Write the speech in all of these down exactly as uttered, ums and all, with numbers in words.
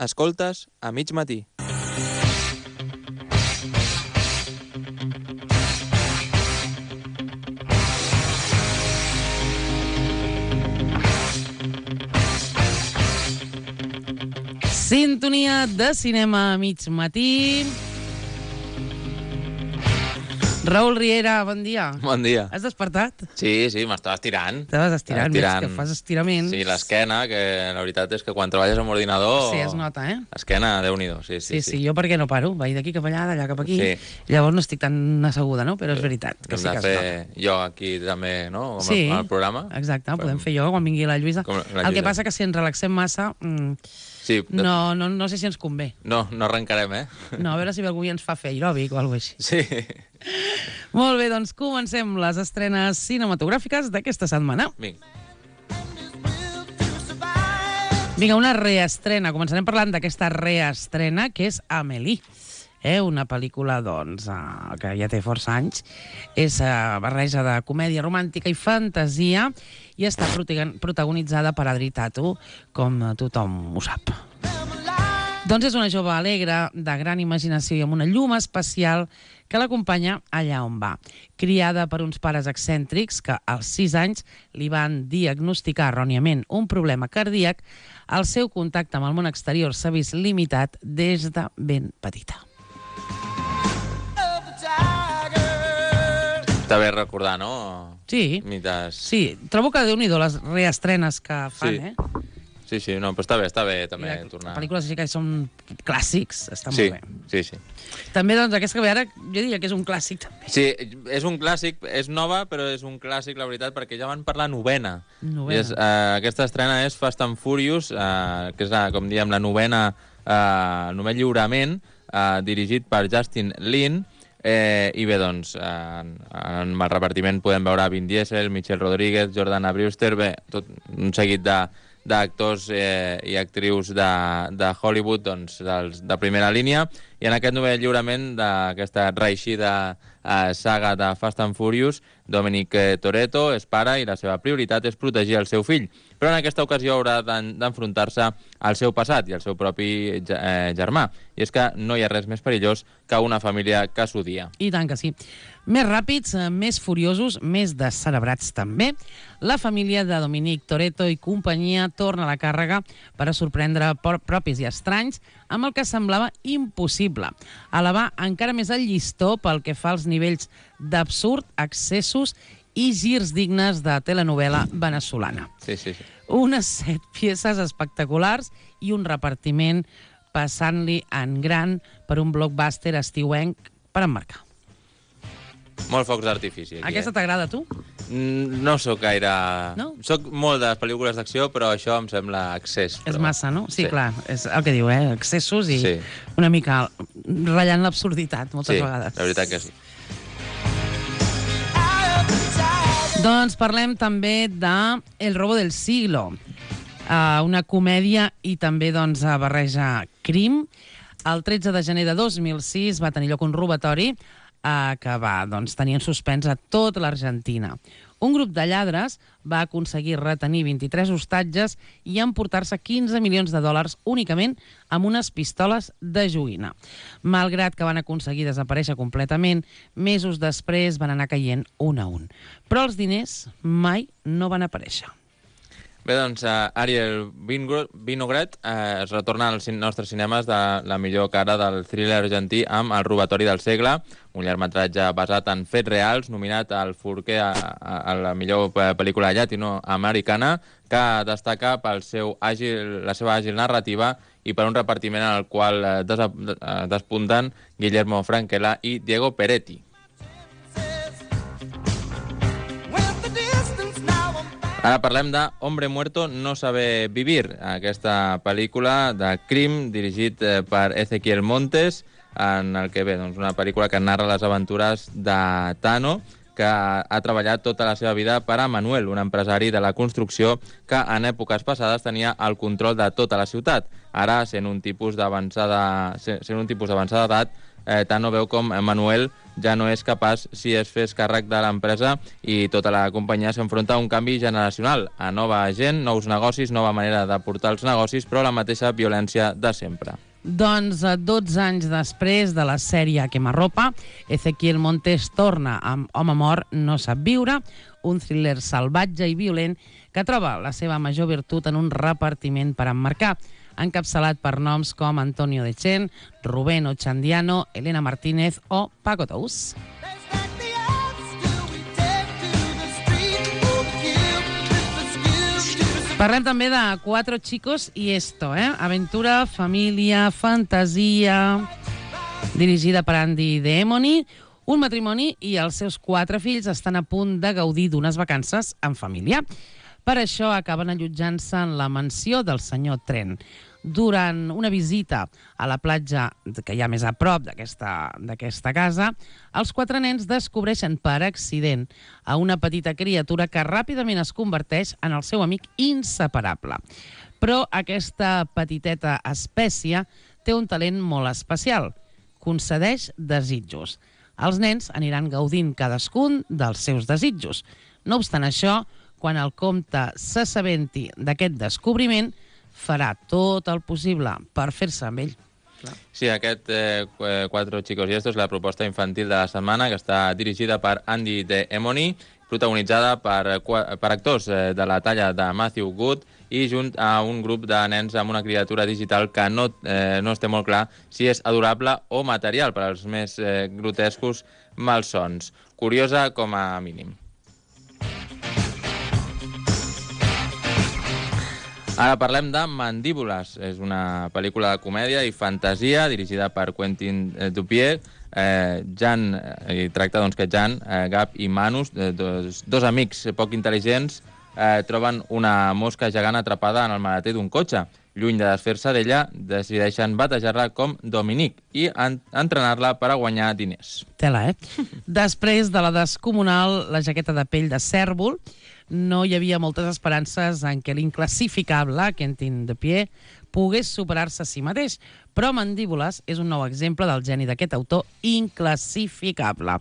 Escoltes a mig matí. Sintonia de cinema a mig matí. Raül Riera, bon dia. Bon dia. Has despertat? Sí, sí, m'estava estirant. Estaves estirant, estirant. veig que fas estiraments. Sí, l'esquena, que la veritat és que quan treballes amb ordinador... Sí, es nota, eh? Esquena, Déu-n'hi-do, sí, sí, Sí, sí, sí, jo perquè no paro, vaig d'aquí cap allà, d'allà cap aquí, Sí. llavors no estic tan asseguda, no? Però és veritat, que Hem sí de que es fer nota. jo aquí també, no? Com Sí, al programa. exacte, Fem- podem fer jo quan vingui la Lluïsa. Com la El que Lluïsa. passa que si ens relaxem massa, mm, Sí, de- no, no, no sé si ens convé. no, no arrencarem, eh? No, a veure si algú ens fa fer aeròbic o alguna cosa així. Sí. Molt bé, doncs comencem les estrenes cinematogràfiques d'aquesta setmana. Vinga. Vinga, una reestrena. Començarem parlant d'aquesta reestrena, que és Amélie. Eh, una pel·lícula, doncs, eh, que ja té força anys. És eh, barreja de comèdia romàntica i fantasia i està protagon- protagonitzada per Adri Tatu, com eh, tothom ho sap. Doncs és una jove alegre, de gran imaginació i amb una llum especial que l'acompanya allà on va. Criada per uns pares excèntrics que als sis anys li van diagnosticar erròniament un problema cardíac, el seu contacte amb el món exterior s'ha vist limitat des de ben petita. Està bé recordar, no? Sí, Mites... sí, trobo que déu-n'hi-do les reestrenes que fan, Sí. eh? Sí, sí, no, però està bé, està bé també I de- tornar... Pel·lícules així que són clàssics, està Sí, molt bé. sí, sí. També, doncs, aquesta que ve ara, jo diria que és un clàssic, també. Sí, és un clàssic, és nova, però és un clàssic, la veritat, perquè ja van per la novena. Novena. I és, eh, aquesta estrena és Fast and Furious, eh, que és, la, com diem, la novena, eh, el novè lliurament, eh, dirigit per Justin Lin. Eh, I bé, doncs, eh, en, en el repartiment podem veure Vin Diesel, Michelle Rodríguez, Jordana Brewster, bé, tot un seguit de d'actors eh, i actrius de, de Hollywood, doncs, dels, de primera línia, i en aquest novè lliurament d'aquesta reeixida eh, saga de Fast and Furious, Dominic eh, Toretto és pare i la seva prioritat és protegir el seu fill, però en aquesta ocasió haurà d'en- d'enfrontar-se al seu passat i al seu propi ge- eh, germà, i és que no hi ha res més perillós que una família que s'odia. I tant que sí. Més ràpids, eh, més furiosos, més descerebrats també. La família de Dominic Toretto i companyia torna a la càrrega per a sorprendre por- propis i estranys amb el que semblava impossible. Elevar encara més el llistó pel que fa als nivells d'absurd, excessos i girs dignes de telenovela veneçolana. Sí, sí, sí. Unes set peces espectaculars i un repartiment passant-li en gran per un blockbuster estiuenc per emmarcar. Molt focs d'artifici, aquí, Aquesta eh? t'agrada, a tu? Mm, No sóc gaire... No? Soc molt de les pel·lícules d'acció, però això em sembla excés. És Però... massa, no? Sí, Sí. clar, és el que diu, eh? Excessos i Sí. una mica ratllant l'absurditat, moltes Sí, vegades. la veritat que sí. Doncs parlem també de El robo del siglo, uh, una comèdia i també doncs, uh, barreja crim. El tretze de gener de dos mil sis va tenir lloc un robatori uh, que va doncs, tenir en suspens a tota l'Argentina. Un grup de lladres va aconseguir retenir vint-i-tres hostatges i emportar-se quinze milions de dòlars únicament amb unes pistoles de joguina. Malgrat que van aconseguir desaparèixer completament, mesos després van anar caient un a un. Però els diners mai no van aparèixer. Bé, doncs, uh, Ariel Vingro- Vinogret uh, es retorna als cin- nostres cinemes de la millor cara del thriller argentí amb El robatori del segle, un llargmetratge basat en fets reals, nominat al Forquer a, a, a la millor pe- pel·lícula llatinoamericana, que destaca pel seu àgil, la seva àgil narrativa i per un repartiment en el qual eh, desa, eh, despunten Guillermo Frankella i Diego Peretti. Ara parlem de Hombre Muerto no sabe vivir, aquesta pel·lícula de crim dirigit eh, per Ezequiel Montes, en el que ve doncs, una pel·lícula que narra les aventures de Tano, que ha treballat tota la seva vida per a Manuel, un empresari de la construcció que en èpoques passades tenia el control de tota la ciutat. Ara, sent un tipus d'avançada sent un tipus d'avançada edat, eh, Tano veu com Manuel ja no és capaç si es fes càrrec de l'empresa i tota la companyia s'enfronta a un canvi generacional, a nova gent, nous negocis, nova manera de portar els negocis, però la mateixa violència de sempre. Doncs dotze anys després de la sèrie Quemarropa, Ezequiel Montes torna amb Home mort no sap viure, un thriller salvatge i violent que troba la seva major virtut en un repartiment per emmarcar, encapçalat per noms com Antonio Dechen, Rubén Ochandiano, Elena Martínez o Paco Tous. Parlem també de Cuatro chicos y esto, eh? Aventura, família, fantasia, dirigida per Andy Demony. Un matrimoni i els seus quatre fills estan a punt de gaudir d'unes vacances en família. Per això acaben allotjant-se en la mansió del senyor Trent. Durant una visita a la platja que hi ha més a prop d'aquesta casa, els quatre nens descobreixen per accident a una petita criatura que ràpidament es converteix en el seu amic inseparable. Però aquesta petiteta espècie té un talent molt especial. Concedeix desitjos. Els nens aniran gaudint cadascun dels seus desitjos. No obstant això, quan el comte s'assabenti d'aquest descobriment, farà tot el possible per fer-se amb ell. Sí, aquest eh, Cuatro chicos y esto és la proposta infantil de la setmana, que està dirigida per Andy Demony, protagonitzada per, per actors eh, de la talla de Matthew Good i junt a un grup de nens amb una criatura digital que no, eh, no es té molt clar si és adorable o material per als més eh, grotescos malsons. Curiosa com a mínim. Ara parlem de Mandíbules. És una pel·lícula de comèdia i fantasia dirigida per Quentin Dupieux. Eh, Jan, eh, tracta doncs, que Jan, eh, Gab i Manus, eh, dos, dos amics poc intel·ligents, eh, troben una mosca gegant atrapada en el maleter d'un cotxe. Lluny de desfer-se d'ella, decideixen batejar-la com Dominique i en entrenar-la per a guanyar diners. Tela, eh? Després de la descomunal, la jaqueta de pell de cèrvol, no hi havia moltes esperances en què l'inclassificable, Quentin Dupieux, pogués superar-se a si mateix, però Mandíbules és un nou exemple del geni d'aquest autor inclassificable.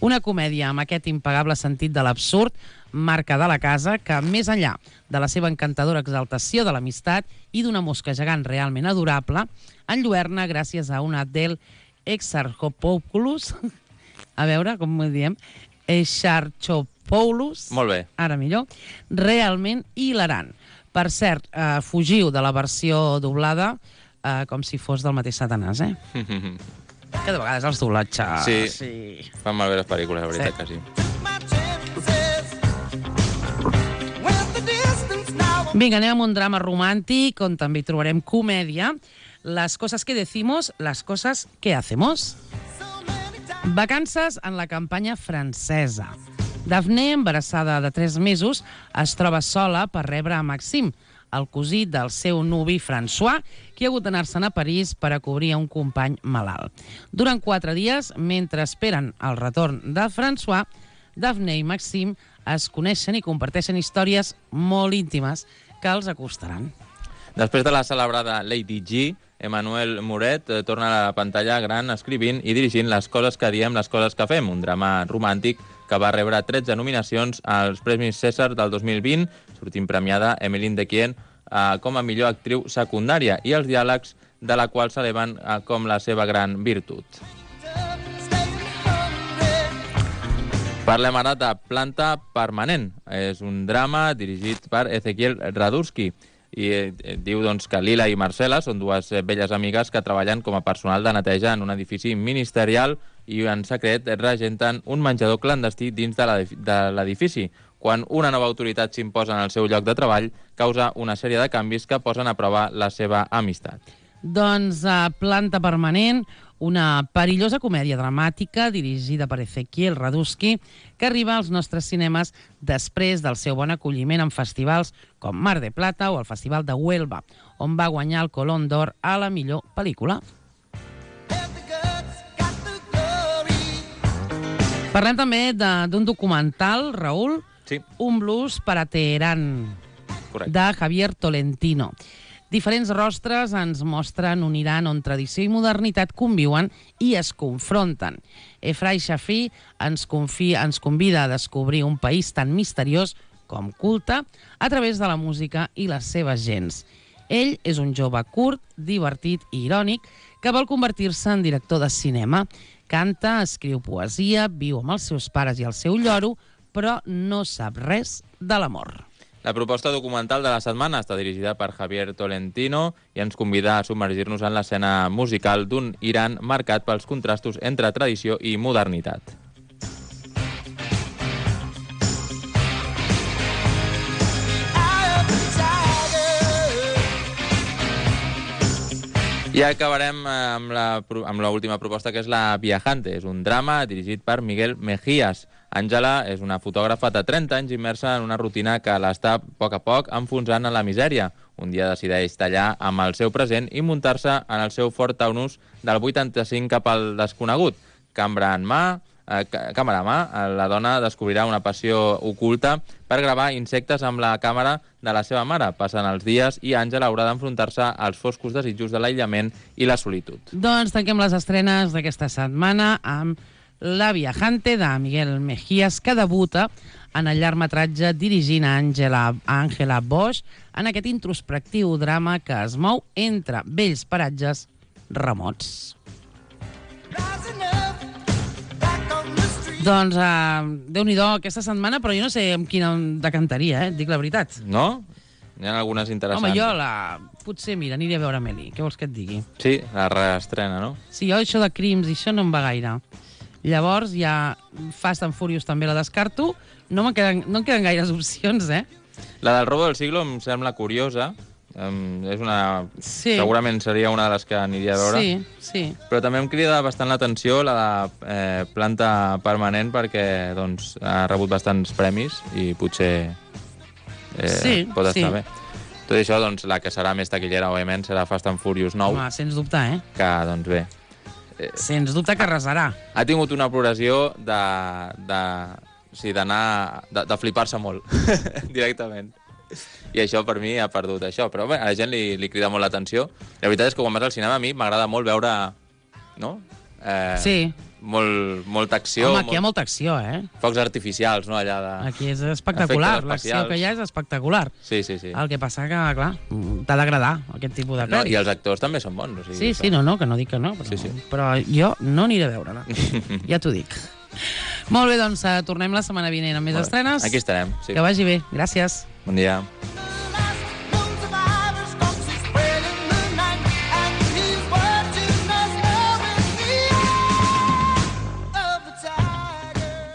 Una comèdia amb aquest impagable sentit de l'absurd, marca de la casa, que més enllà de la seva encantadora exaltació de l'amistat i d'una mosca gegant realment adorable, enlluerna gràcies a una Adele Exarchopoulos, a veure com ho diem, Exarchopoulos, molt bé, ara millor, realment hilarant. Per cert, eh, fugiu de la versió doblada eh, com si fos del mateix Satanàs, eh? Que de vegades els doblatges... Sí, sí. Fan malbé les pel·lícules, la veritat sí. que sí. Vinga, anem amb un drama romàntic on també hi trobarem comèdia. Las cosas que decimos, las cosas que hacemos. Vacances en la campanya francesa. Daphne, embarassada de tres mesos, es troba sola per rebre a Maxime, el cosí del seu nuvi François, que ha hagut d'anar-se'n a París per a cobrir un company malalt. Durant quatre dies, mentre esperen el retorn de François, Daphne i Maxime es coneixen i comparteixen històries molt íntimes que els acostaran. Després de la celebrada Lady G, Emmanuel Muret eh, torna a la pantalla gran escrivint i dirigint Les coses que diem, les coses que fem, un drama romàntic que va rebre tretze nominacions als Premis César del dos mil vint, sortint premiada Emmeline Dequien eh, com a millor actriu secundària i els diàlegs de la qual s'eleven eh, com la seva gran virtut. Parlem ara de Planta permanent. És un drama dirigit per Ezequiel Radurski i eh, diu doncs, que Lila i Marcela són dues eh, velles amigues que treballen com a personal de neteja en un edifici ministerial i en secret regenten un menjador clandestí dins de l'edifici. Quan una nova autoritat s'imposa en el seu lloc de treball, causa una sèrie de canvis que posen a prova la seva amistat. Doncs a Planta permanent, una perillosa comèdia dramàtica dirigida per Ezequiel Radurski que arriba als nostres cinemes després del seu bon acolliment en festivals com Mar de Plata o el Festival de Huelva, on va guanyar el Colón d'Or a la millor pel·lícula. Parlem també d'un documental, Raül, sí. Un blues per a Teherán, correcte, de Javier Tolentino. Diferents rostres ens mostren un Iran on tradició i modernitat conviuen i es confronten. Efrai Shafii ens, confia, ens convida a descobrir un país tan misteriós com culte a través de la música i les seves gents. Ell és un jove curt, divertit i irònic que vol convertir-se en director de cinema. Canta, escriu poesia, viu amb els seus pares i el seu lloro, però no sap res de l'amor. La proposta documental de la setmana està dirigida per Javier Tolentino i ens convida a submergir-nos en l'escena musical d'un Iran marcat pels contrastos entre tradició i modernitat. I acabarem amb la, amb l'última proposta, que és La Viajante. És un drama dirigit per Miguel Mejías. Àngela és una fotògrafa de trenta anys immersa en una rutina que l'està a poc a poc enfonsant en la misèria. Un dia decideix tallar amb el seu present i muntar-se en el seu Ford Taunus del vuitanta-cinc cap al desconegut. Cambra en mà, eh, càmera a mà, la dona descobrirà una passió oculta per gravar insectes amb la càmera de la seva mare. Passen els dies i Àngela haurà d'enfrontar-se als foscos desitjos de l'aïllament i la solitud. Doncs tanquem les estrenes d'aquesta setmana amb La Viajante, de Miguel Mejías, que debuta en el llargmetratge dirigint a Àngela Àngela Bosch en aquest introspectiu drama que es mou entre vells paratges remots. Doncs, uh, Déu-n'hi-do aquesta setmana, però jo no sé amb quina decantaria, eh? Dic la veritat. No? Hi ha algunes interessants. Home, jo la... potser, mira, aniré a veure Amélie. Què vols que et digui? Sí, la reestrena, no? Sí, jo això de crims i això no em va gaire. Llavors, ja Fast and Furious també la descarto. No, queden, no em queden gaires opcions, eh? La del robo del siglo em sembla curiosa. Um, és una... Sí. Segurament seria una de les que aniria a veure. Sí, sí. Però també em crida bastant l'atenció la de eh, Planta Permanent, perquè doncs, ha rebut bastants premis i potser eh, sí, pot estar sí. bé. Tot això, doncs, la que serà més taquillera, òbviament, serà Fast and Furious nou. Home, sens dubte, eh? Que, doncs bé... Eh, sens dubte que arrasarà. Ha tingut una progressió de... de sí, d'anar... de, de flipar-se molt, directament. I això per mi ha perdut això, però bé, a la gent li, li crida molt l'atenció. La veritat és que quan vas al cinema a mi m'agrada molt veure, no? Eh, sí. Molt, molta acció. Home, aquí molt... hi ha molta acció, eh? Focs artificials, no? Allà de... Aquí és espectacular, l'acció que hi ha és espectacular. Sí, sí, sí. El que passa que, clar, t'ha d'agradar aquest tipus de pel·lis. No, i els actors també són bons. O sigui, sí, sí, no, no, que no dic que no, però, sí, sí. però jo no aniré a veure-la. Ja t'ho dic. Molt bé, doncs tornem la setmana vinent amb més estrenes. Aquí estarem, sí. Que vagi bé. Gràcies. Bon dia.